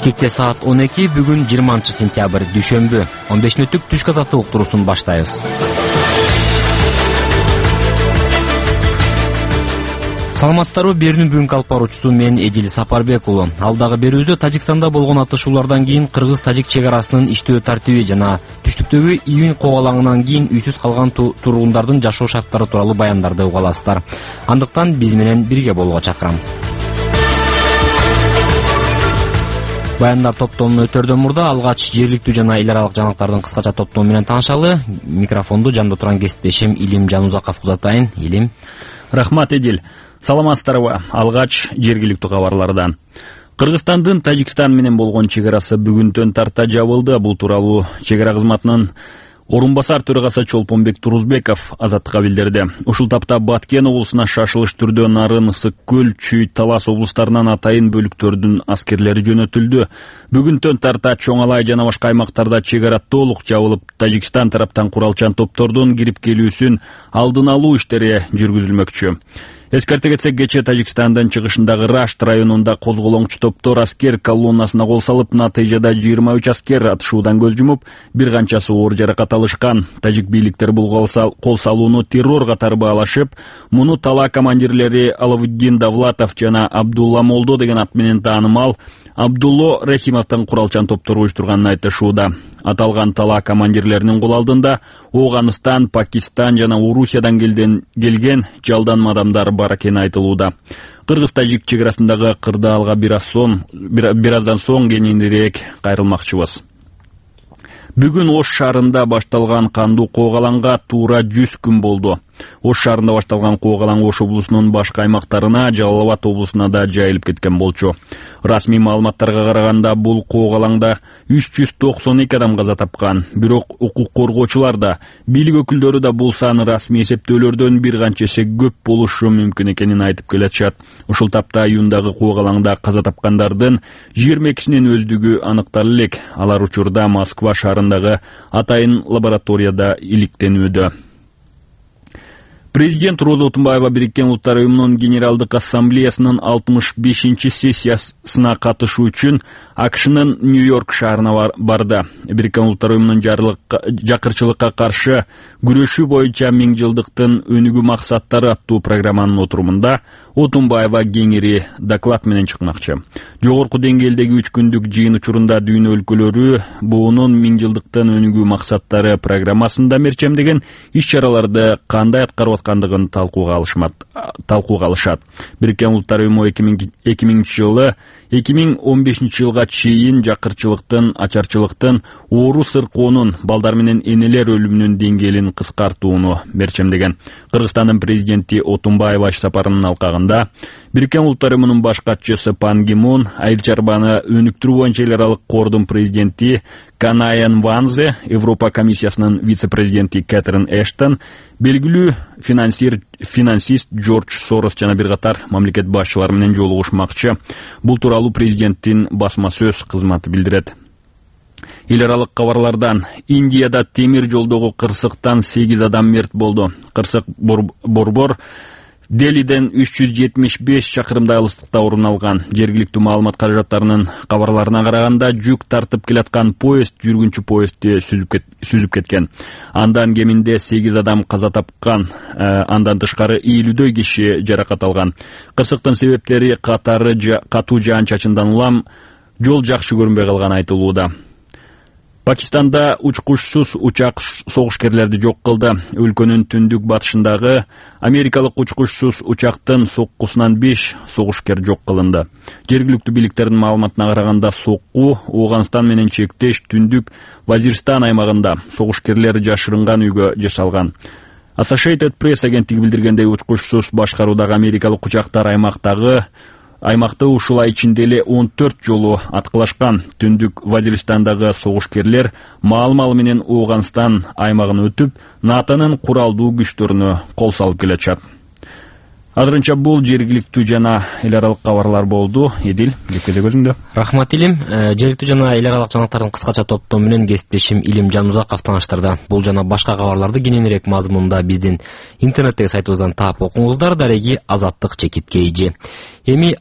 Бишкекте саат 12, бүгүн 20-сентябрь, дүйшөмбү. 15 мүнөттүк түшкү азаттык уктуруусун баштайбыз. Саламатсыздарбы, берүүнүн бүгүнкү алып баруучусу мен Эдил Сапарбек уулу. Алдагы берүүбүздө Тажикстанда болгон атышуулардан кийин кыргыз-тажик чек арасынын иштөө тартиби жана түштүктөгү июнь кобалаңынан кийин үйсүз калган тургундардын жашоо шарттары тууралуу баяндарды уга аласыздар. Андыктан биз менен бирге болууга чакырам. Баяндар топтомунун өтөрдөн мурда алгач жергиликтүү жана эл аралык жаңылыктардын кыскача топтому менен таанышалы. Микрофонду жанда турган кесиптешим Илим Жанузаковго узатайын. Илим. Рахмат, Эдил. Саламатсыздарбы? Алгач жергиликтүү кабарлардан. Кыргызстандын Тажикстан менен болгон чек арасы бүгүнтөн тарта жабылды. Бул тууралуу чек ара кызматынын орунбасар төрагасы Чолпонбек Турузбеков Азаттыкка билдирди. Ушул тапта Баткен облусуна шашылыш түрдө Нарын, Ысык көл, Чүй, Талас облустарынан атайын бөлүктөрдүн аскерлери жөнөтүлдү. Бүгүнтөн тарта Чоң Алай жана башка аймактарда чек ара толук жабылып, Тажикстан тараптан куралчан топтордун кирип келүүсүн алдын алуу иштери жүргүзүлмөкчү. Эскерте кетсек, кечээ Тажикстандын чыгышындагы Рашт районунда козголоңчу топтор аскер колоннасына кол салып, натыйжада 23 аскер атышуудан көз жумуп, бир канчасы оор жаракат алышкан. Тажик бийликтери бул кол салууну террор катары баалашып, муну тала командирлери Алавуддин Давлатов жана Абдулла Молдо деген ат менен таанымал Абдулло Рахимовдун куралчан топтору уюштурганын айтышууда. Аталган тала командирлеринин кол алдында Оганыстан, Пакистан жана Орусиядан келген жалданма адамдар бар экени айтылууда. Кыргыз-тажик чек арасындагы кырдаалга бир аздан соң кененирээк кайрылмакчыбыз. Бүгүн Ош шаарында башталган кандуу коогалаңга туура 100 күн болду. Ош шаарында башталган коогалаң Ош облусунун башка аймактарына, Жалал Абад облусуна да жайылып кеткен болчу. Расмий маалыматтарга караганда, бул коогалаңда 392 адам каза тапкан. Бирок укук коргоочулар да, бийлик өкүлдөрү да бул сан расмий эсептөөлөрдөн бир канча эсе көп болушу мүмкүн экенин айтып келишат. Ушул тапта июндагы коогалаңда каза тапкандардын 22-синин өздүгү аныкталып элек. Алар учурда Москва шаарындагы атайын лабораторияда иликтенүүдө. Президент Роза Отунбаева Бириккен Улуттар Уюмунун Генералдык Ассамблеясынын 65-сессиясына катышуу үчүн АКШнын Нью-Йорк шаарына барды. Бириккен Улуттар Уюмунун жакырчылыкка каршы күрөшүү боюнча 1000 жылдыктын өнүгүү максаттары аттуу программанын отурумунда Отунбаева кеңири доклад менен чыкмакчы. Жогорку деңгээлдеги 3 күндүк жыйын учурунда дүйнө өлкөлөрү буунун 1000 жылдыктын өнүгүү максаттары программасында мерчемдеген иш-чараларды кандай аткарып аткандыгын талкууга алышат. Бириккен Улуттар Уюму 2015 жылга чейин жакырчылыктын, ачарчылыктын, оору сыркоонун, балдар менен энелер өлүмүнүн деңгээлин кыскартууну мерчемдеген. Кыргызстандын президенти Отунбаева иш сапарынын алкагында Бириккен Улуттар Уюмунун баш катчысы Пан Ги Мун, айыл чарбаны өнүктүрүү боюнча эл аралык кордун президенти Канаян Ванзе, Европа комиссиясынын вице-президенти Кэтрин Эштон, белгилүү финансист Джордж Сорос жана бир катар мамлекет башчылары менен жолугушмакчы. Бул тууралуу президенттин басма сөз кызматы билдирет. Эл аралык кабарлардан: Индияда темир жолдогу кырсыктан 8 адам мерт болду. Кырсык борбор Делиден 375 чакырымдай алыстыкта орун алган. Жергиликтүү маалымат каражаттарынын кабарларына караганда, жүк тартып келаткан поезд жүргүнчү поездди сүзүп кеткен. Андан кеминде 8 адам каза тапкан. Андан тышкары 50дөй киши жаракат алган. Кырсыктын себептери катуу жаан-чачындан улам жол жакшы көрүнбөй калганы айтылууда. Пакистанда учкучсуз учак согушкерлерди жок кылды. Өлкөнүн түндүк батышындагы америкалык учкучсуз учактын соккусунан 5 согушкер жок кылынды. Жергиликтүү бийликтердин маалыматына караганда, сокку Оганстан менен чектеш түндүк Вазирстан аймагында согушкерлер жашырынган үйгө жасалган. Associated Press агенттиги билдиргендей, учкучсуз башкаруудагы америкалык учактар аймакты ушул ай ичинде эле 14 жолу аткылашкан. Түндүк Вазиристандагы согушкерлер маал-мал менен Оганстан аймагын өтүп, НАТОнун куралдуу күчтөрүнө кол салып келишат. Азырынча бул жергиликтүү жана эл аралык кабарлар болду. Эдил, кепкезе көзүңдө. Рахмат, Илим. Жергиликтүү жана эл аралык жаңылыктардын кыскача топтому менен кесиптешим Илим Жанузаков тааныштырды. Бул жана башка кабарларды кененирээк мазмунда биздин интернеттеги сайтыбыздан таап окуңуздар. Дареги Азаттык чекит кейжи. Эми